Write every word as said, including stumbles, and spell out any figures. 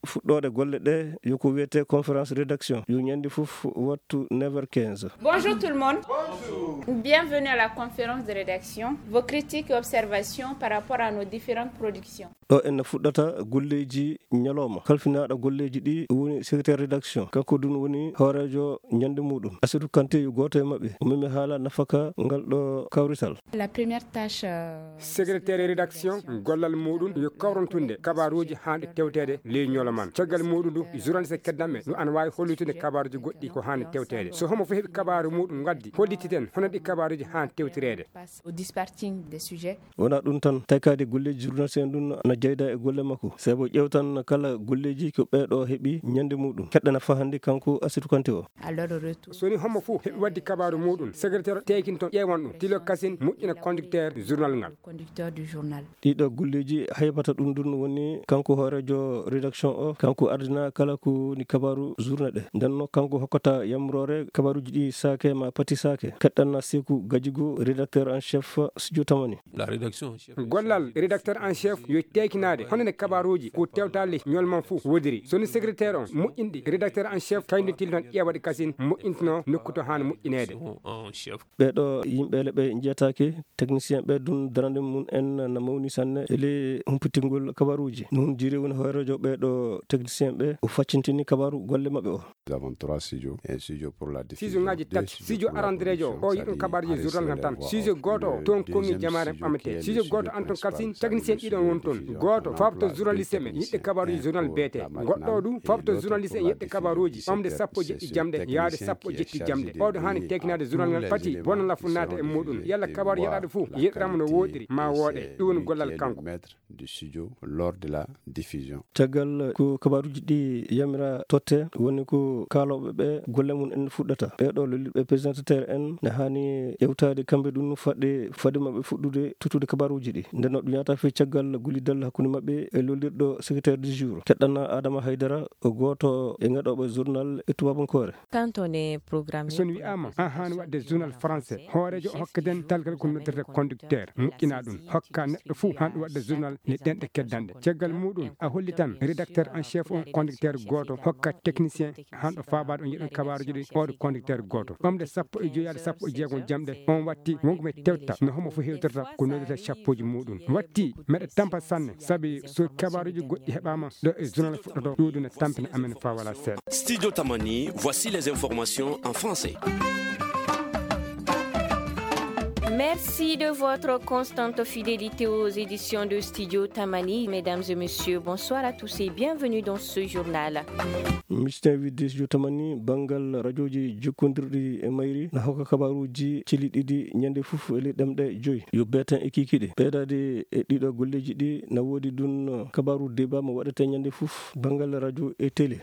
fuɗɗoode golle ɗe yo ko wiyetee conférence rédaction, yo ñande fof wattu neuf heures quinze. Bonjour tout le monde. Bienvenue à la conférence de rédaction. Vos critiques et observations par rapport à nos différentes productions. Ɗo en fuɗɗata golleeji ñalooma. Kalfinaaɗo golleeji ɗi woni secrétaire rédaction. Kanko ɗum woni hooreejo ñande muɗum. Asidou Kanté yo gooto e maɓɓe. O memi haala nafaka ngal ɗo kawrital. La première tâche, euh, secrétaire rédaction, gollal muɗum yo kawrantunde kabaruuji haanɗe tewteede ley ñolo man. Caggal muɗum du, journaliste keddanɓe no ana waawi hollutude kabaruuji goɗɗi ko haanɗe tewteede. So homo fof heɓi kabaaru muɗum ngaddi, hollititen hono ɗi kabaruuji haanɗe tewtireede. Au dispatching des sujets. Wonaa ɗum tan, taykaade golleeji journaliste en ɗum na jeyda e golle makko. Sabu ƴeewtan kala golleeji ko ɓeeɗo heɓi ñande muɗum. Keɗɗana fahande kanko Asidou Kanté o. Alors, retour. So ni homo fof heɓi wadde kabaaru muɗum, secrétaire tekinto ƴeewan ɗum, tilo kasin moƴƴina conducteur journal ngal. Conducteur du journal. Ɗiɗo golleeji haybata ɗum ɗum woni kanko hooreejo rédaction o, kanko ardina kala ko woni kabaaru journée ɗe. Nden no kanko hokkata yamroore kabaaruuji ɗi saake ma pati saake. Keɗɗanna Seeku Gajigo, rédacteur en chef studio Tamani. La rédaction en chef. Gollal rédacteur en chef yo teekinaade hono ne kabaaruuji ko tewtaali ñol man fof wodiri. So ni secrétaire on moƴƴinɗi, rédacteur en chef kañum tilton ƴeewaɗe kasin moƴƴintinoo nokku to haani moƴƴineede. En chef. Ɓeeɗo yimɓe le ɓe njiyataake, technicien ɓe ɗum darande mum en na mawni sanne e ley humpitingol kabaruuji. Ɗum jiri woni hooreejo ɓeeɗo technicien ɓe, o faccintini kabaru golle maɓɓe o. Nous avons trois studios, un studio pour la diffusion, sijo ngaji tati, sijo aranderejo o yiɗum kabaruuji journal ngal tan. Sijo gooto o toon kongi jamaare ɓamete. Sijo gooto an toon kalsin technicien ɗiɗon woni toon. Gooto fabto journaliste men yiɗde kabaruuji journal beete. Goɗɗo o du fabto journaliste en yiɗde kabaruuji ɓamde sappo e jeɗɗi jamɗe yaade sappo e jeɗɗi jamɗe. Ɓawde haani teekinaade journal ngal pati bona lafu naata e muɗum. Yalla kabaru yeɗaaɗo fof yeɗirama no woɗiri ma wooɗe. Ɗum woni gollal kanko. Du studio lors de la diffusion. Caggal ko kabaruuji ɗi yamira totte, woni ko kaalooɓe ɓe golle mum en fuɗɗata. Ɓeeɗo lolliɓe présentateur en ne haani ƴewtaade kamɓe ɗum faɗde, fade maɓɓe fuɗɗude tottude kabaruuji ɗi. Nden no ɗum yaata fii caggal gollidal hakkunde maɓɓe e lollirɗo secrétaire du jour. Keɗɗana Adama Haydara, o gooto e ngaɗooɓe journal e tubabankoore. Quand on est programmé. So mi wi'aama, a haani waɗde journal français, hooreejo o hokkaten talgal ko noddirta conducteur, moƴƴina ɗum, hokka neɗɗo fof haanɗo waɗde journal ne ɗenɗe keddanɗe. Caggal muɗum, a holli tan rédacteur en chef on conducteur gooto, hokka technicien haanɗo faabaade on yiɗon kabaruuji ɗi, oɗo conducteur gooto. Ɓamde sappo e joyi yaade sappo e jeegom jamɗe, on watti wonko mi tewta no homo fof hewtirta ko noddirta cappuuji muɗum. Watti meɗa tampa sanne, sabi so kabaruuji goɗɗi heɓaama, ɗo e journal fuɗɗoto, ɗuuɗu ne tampina amen faa wala seeɗa. Studio Tamani, voici les informations en français. Merci de votre constante fidélité aux éditions de Studio Tamani. Mesdames et messieurs, bonsoir à tous et bienvenue dans ce journal. Misten widde Studio Tamani, banngal rajooji jokkondirɗi e mayri na hokka kabaruuji cili ɗiɗi ñande fof e ley ɗemɗe joyi. Yo beeten e kiikiiɗe. Ɓeydaade e ɗiɗo golleeji ɗi na woodi ɗum kabaru débat mo waɗetee ñande fof banngal rajo e télé.